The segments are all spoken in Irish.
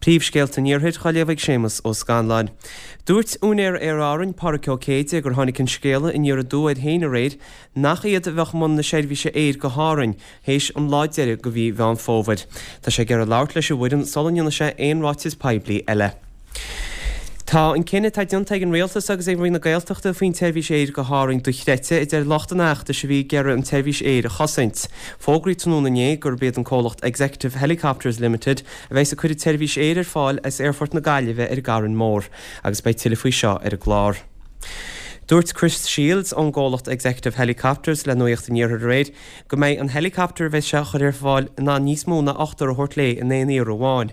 Príomhscéalta an Iarthair á léamh ag Séamus Ó Scanláin. Dúirt úinéir Aer Árainn, Pádraic Ó Céide, gur tháinig an scéala aniar aduaidh air féin aréir nach iad a bheadh i mbun na seirbhíse aeir go hÁrainn théis an lá deiridh de mhí Mheán Fómhair. Tá sé ag iarraidh labhairt leis an bhfoireann sula ndéanfaidh sé aon ráiteas poiblí eile. Tá an cinneadh atá déanta ag an Rialtas agus ag Roinn na Gaeltachta faoin tseirbhís aeir go hÁrainn dochreidte, a deir lucht an fheachtais a bhí ag iarraidh an tseirbhís aeir a chosaint. Fógraíodh tráthnóna inné gurb iad an comhlacht Executive Helicopters Limited a bheas ag cur an tseirbhís aeir ar fáil as Aerfort na Gaillimhe ar an gCarn Mór agus beidh tuilleadh faoi seo ar an gclár. Dúirt Chris Shields ón gcomhlacht Executive Helicopters le Nuacht an Iarthair aréir go mbeidh an helicopter a bheas sé a chur ar fáil in ann níos mó ná ochtar a thabhairt léi in aon iarraidh amháin.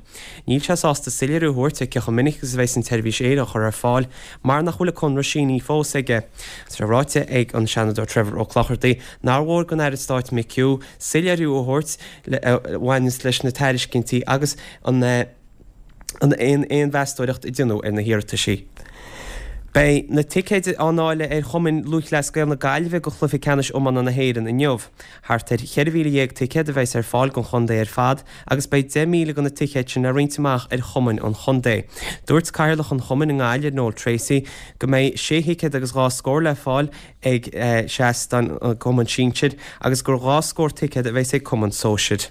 Níl sé sásta soiléiriú a thabhairt ar cé chomh minic agus a bheas an tseirbhís aeir á chur ar fáil mar nach bhfuil an conradh sínithe fós aige. Tá sé ráite ag an Seanadóir Trevor Ó Clochartaigh nár mhór don Aire Stáit McHugh soiléiriú a thabhairt a bhaineanns leis na tairiscintí agus an an aon mheastóireacht a déanadh ar na hiarrataisí. Beidh na ticéid á ndáileadh ar Chumann Lúthchleas Gael na Gaillimhe do chluiche ceannais iomána na hÉireann inniu. Thart ar 14,000 ticéad a bheas ar fáil don chontae ar fad agus beidh 10,000 de na ticéid sin le roinnt amach ar chumainn an chontae. Dúirt Cathaoirleach an chumainn i nGaillimh, Noel Treacy, go mbeidh sé thicéad agus dhá scór le fáil ag seas don gcumann sinsir agus gur dhá scór ticéad a bheas ag cumann sóisir.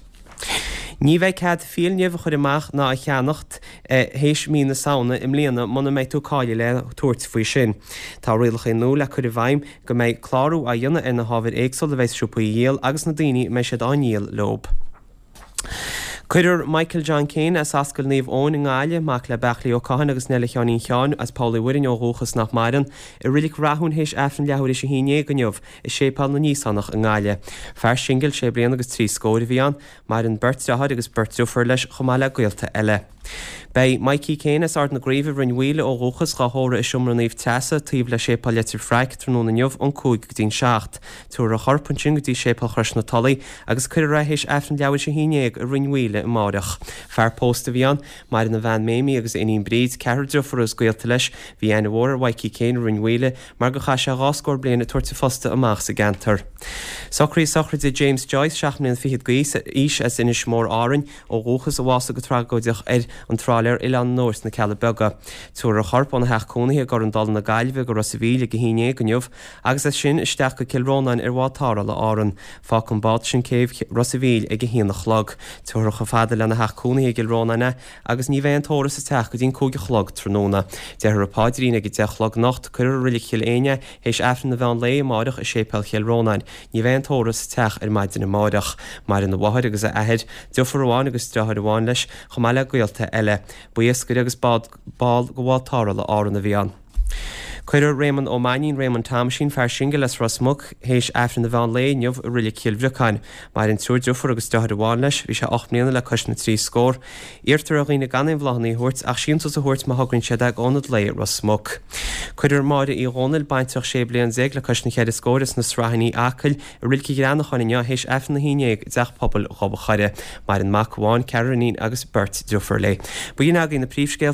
Ní bheidh cead fiailnimh a chur amach ná a cheannacht théis mí na Samhna i mbliana muna mbeidh tú cáilithe le tabhairt faoi sin. Tá rialacha nua le cur i bhfeidhm go mbeidh clárú á dhéanamh ar na hábhair éagsúla a bheidh siopaí a dhíol agus na daoine a mbeidh siad á ndíol leob. Cuirfear Michael John Kane as Ascaill Naomh Eoin i nGaillimh, mac le Beachlaí Ó Catháin agus Neile Sheáinín Sheáin as Poll Uí Mhuirinn ó dhúchas nach maireann, i Reilig Rathúin théis Aifreann leathuair théis a haon dhéag inniu. i Séipéal na nÍosánach i nGaillimh. Fear singil sé bliana agus trí scóir a bhí ann. Maireann beirt deartháir agus beirt driofúr leis chomh maith le gaolta eile. Beidh Mikey Kane as Ard na Craoibhe i Rinn Mhaoile ó dhúchas dhá thórramh i Seomra Naomh Treasa taobh le Séipéal Leitir Fraic tráthnóna inniu ón 5 go dtí'n 7. Tabharfar a chorp ansin go dtí Séipéal Chrois na Tulaí agus cuirfear é théis Aifreann leathuair théis a haon dhéag i Rinn Mhaoile amáireach. Fear pósta a bhí ann. Maireann a bhean Mamie agus a iníon Bríd, ceathrar driofúr agus gaolta leis. Bhí aithne mhór ar Mhikey Kane i Rinn Mhaoile mar gur chaith sé dhá scór bliain ag tabhairt a phosta amach sa gceantar. Socruithe sochraide James Joyce, seacht mbliana fichead d'aois, as Inis Mór, Árainn, ó dhúchas, a bhásaigh go tragóideach ar an tráiléar Oileán an Óir sna Cealla Beaga. Tabharfar a chorp óna theach cónaithe i gCorran Dála na Gaillimhe go Ros a' Mhíl ag a haon dhéag inniu agus as sin isteach go Cill Rónáin ar bhád tarrthála Árann. Fágfaidh an bád sin céibh Ros a' Mhíl ag a haon a chlog. Tabharfar chomh fada lena theach cónaithe i gCill Rónáin é agus ní bheidh an tórramh sa teach go dtí'n 5 a chlog tráthnóna. Déarfar an paidrín ag 10 a chlog anocht, cuirfear i Reilig Chill Éinne é théis Aifreann an mheán lae amáireach i Séipéal Chill Rónáin. Ní bheidh an tórramh sa teach ar maidin amáireach. Maireann a mháthair agus a athair, deirfiúr amháin agus deartháir amháin leis, chomh maith le gaolta eile. Ba iascaire agus ball de bhád tarrthála Árann a bhí ann. Cuirfear Réamonn Ó Mainnín, Réamonn Thomaisín, fear singil as Ros Muc, théis Aifreann an mheán lae inniu i Reilig Chill Bhriocáin. Maireann triúr driofúr agus deartháir amháin leis. Bhí sé 8 mbliana le cois na dtrí scór. Iarrtar ar dhaoine gan aon bhláthanna a thabhairt ach síntiús a thabhairt má thograíonn siad é go Ionad Lae Ros Muc. Cuirfear Máire Uí Dhónaill, baintreach 16 bliain le cois na cheithre scóir as na Sraithíní, Acaill, i Reilig an Ghreanacháin inniu théis Aifreann a haon dhéag i dTeach Pobail Ghob a' Choire. Maireann mac amháin, ceathrar iníon agus beirt driofúr léi. B'in agaibh na príomhscéalta.